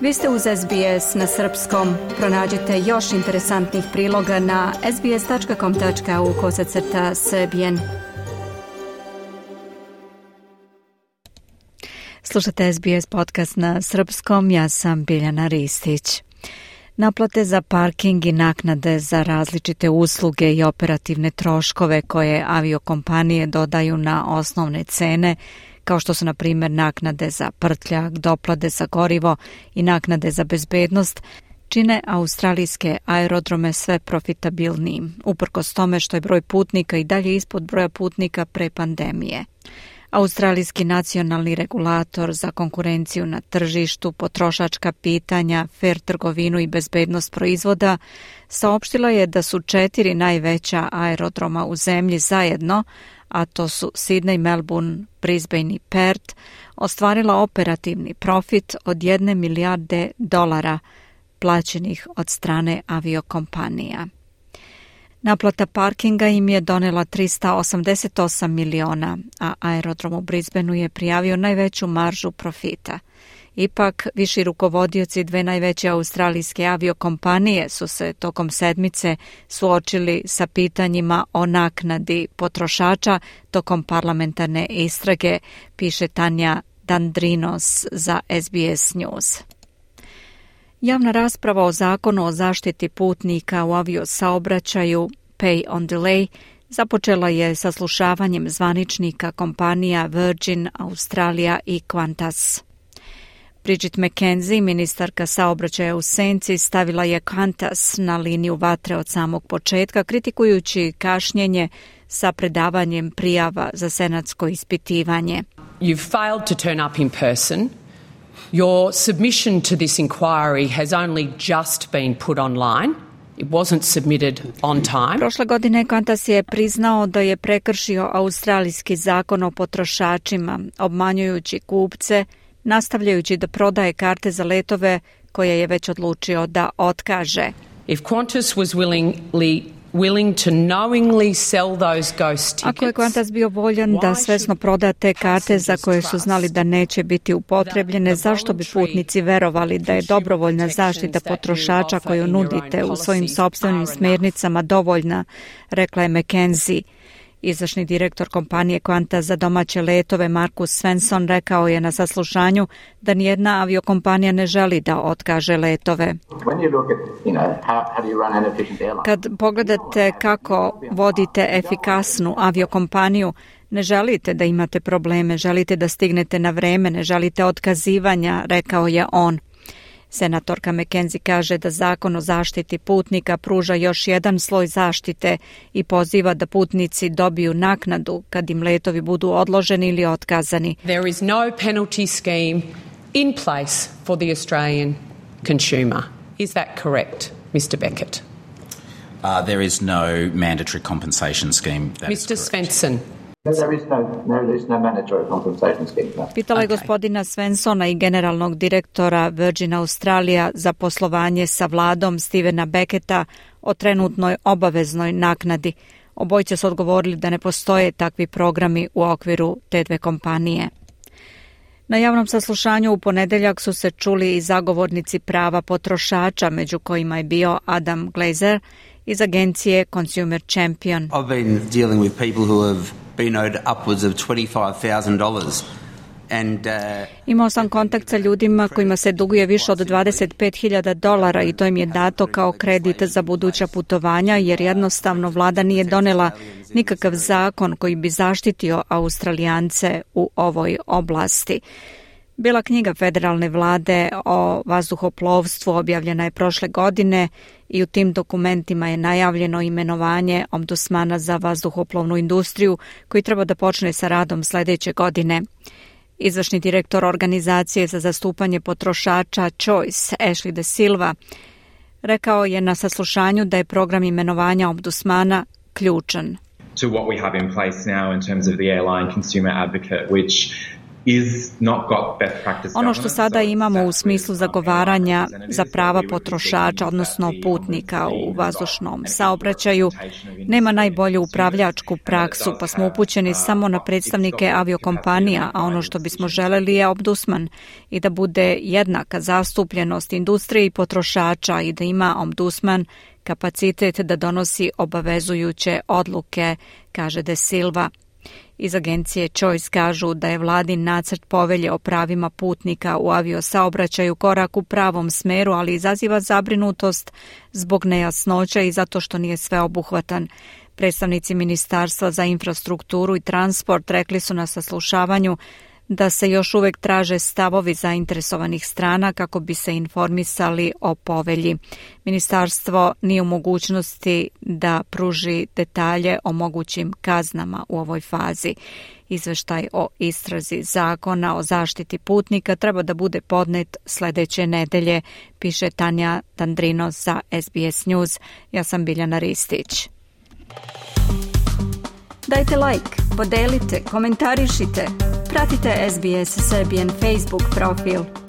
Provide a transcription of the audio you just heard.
Vi ste uz SBS na srpskom. Pronađite još interesantnih priloga na sbs.com.au/srbijen. Slušate SBS podcast na srpskom, ja sam Biljana Ristić. Naplate za parking i naknade za različite usluge i operativne troškove koje aviokompanije dodaju na osnovne cene, kao što su na primjer naknade za prtljag, doplate za gorivo i naknade za bezbednost, čine australijske aerodrome sve profitabilnijim, uprkos tome što je broj putnika i dalje ispod broja putnika pre pandemije. Australijski nacionalni regulator za konkurenciju na tržištu, potrošačka pitanja, fer trgovinu i bezbednost proizvoda saopštila je da su 4 najveća aerodroma u zemlji zajedno, a to su Sydney, Melbourne, Brisbane i Perth, ostvarila operativni profit od $1 milijarde plaćenih od strane aviokompanija. Naplata parkinga im je donela $388 miliona, a aerodrom u Brisbaneu je prijavio najveću maržu profita. Ipak, viši rukovodioci 2 najveće australijske aviokompanije su se tokom sedmice suočili sa pitanjima o naknadi potrošača tokom parlamentarne istrage, piše Tanja Dandrinos za SBS News. Javna rasprava o zakonu o zaštiti putnika u aviosaobraćaju Pay on Delay započela je saslušavanjem zvaničnika kompanija Virgin, Australija i Qantas. Bridget McKenzie, ministarka saobraćaja u senci, stavila je Qantas na liniju vatre od samog početka, kritikujući kašnjenje sa predavanjem prijava za senatsko ispitivanje. You've failed to turn up in person. Your submission to this inquiry has only just been put online. It wasn't submitted on time. Prošle godine Qantas je priznao da je prekršio australijski zakon o potrošačima, obmanjujući kupce, nastavljajući da prodaje karte za letove koje je već odlučio da otkaže. If Qantas was willing to knowingly sell those ghost tickets. Ako je Qantas bio voljan da svesno proda te karte za koje su znali da neće biti upotrebljene, zašto bi putnici verovali da je dobrovoljna zaštita potrošača koju nudite u svojim sopstvenim smjernicama dovoljna, rekla je McKenzie. Izvršni direktor kompanije Qantas za domaće letove Markus Svensson rekao je na saslušanju da nijedna aviokompanija ne želi da otkaže letove. Kad pogledate kako vodite efikasnu aviokompaniju, ne želite da imate probleme, želite da stignete na vreme, ne želite otkazivanja, rekao je on. Senatorka McKenzie kaže da zakon o zaštiti putnika pruža još jedan sloj zaštite i poziva da putnici dobiju naknadu kad im letovi budu odloženi ili otkazani. There is no penalty scheme in place for the Australian consumer. Is that correct, Mr. Beckett? There is no mandatory compensation scheme. Mr. Svensson. There is no mandatory compensation scheme. No. Pitala je gospodina Svensona i generalnog direktora Virgin Australia za poslovanje sa vladom Stevena Becketta o trenutnoj obaveznoj naknadi. Obojice su odgovorili da ne postoje takvi programi u okviru te dve kompanije. Na javnom saslušanju u ponedeljak su se čuli i zagovornici prava potrošača, među kojima je bio Adam Glazer iz agencije Consumer Champion. I've been dealing with people who have been owed upwards of $25,000. Imao sam kontakt sa ljudima kojima se duguje više od $25,000 i to im je dato kao kredit za buduća putovanja, jer jednostavno vlada nije donela nikakav zakon koji bi zaštitio Australijance u ovoj oblasti. Bila knjiga federalne vlade o vazduhoplovstvu objavljena je prošle godine i u tim dokumentima je najavljeno imenovanje ombudsmana za vazduhoplovnu industriju koji treba da počne sa radom sljedeće godine. Izvršni direktor organizacije za zastupanje potrošača Choice, Ashley De Silva, rekao je na saslušanju da je program imenovanja ombudsmana ključan. To what we have in place now in terms of the airline consumer advocate, which Ono što sada imamo u smislu zagovaranja za prava potrošača, odnosno putnika u vazdušnom saobraćaju, nema najbolju upravljačku praksu, pa smo upućeni samo na predstavnike aviokompanija, a ono što bismo želeli je ombudsman i da bude jednaka zastupljenost industrije i potrošača i da ima ombudsman kapacitet da donosi obavezujuće odluke, kaže De Silva. Iz agencije Choice kažu da je vladin nacrt povelje o pravima putnika u aviosaobraćaju korak u pravom smeru, ali izaziva zabrinutost zbog nejasnoća i zato što nije sveobuhvatan. Predstavnici Ministarstva za infrastrukturu i transport rekli su na saslušavanju da se još uvek traže stavovi zainteresovanih strana kako bi se informisali o povelji. Ministarstvo nije u mogućnosti da pruži detalje o mogućim kaznama u ovoj fazi. Izveštaj o istrazi zakona o zaštiti putnika treba da bude podnet sledeće nedelje, piše Tanja Tandrinos za SBS News. Ja sam Biljana Ristić. Dajte like, podelite, komentarišite. Pratite SBS Serbian Facebook profil.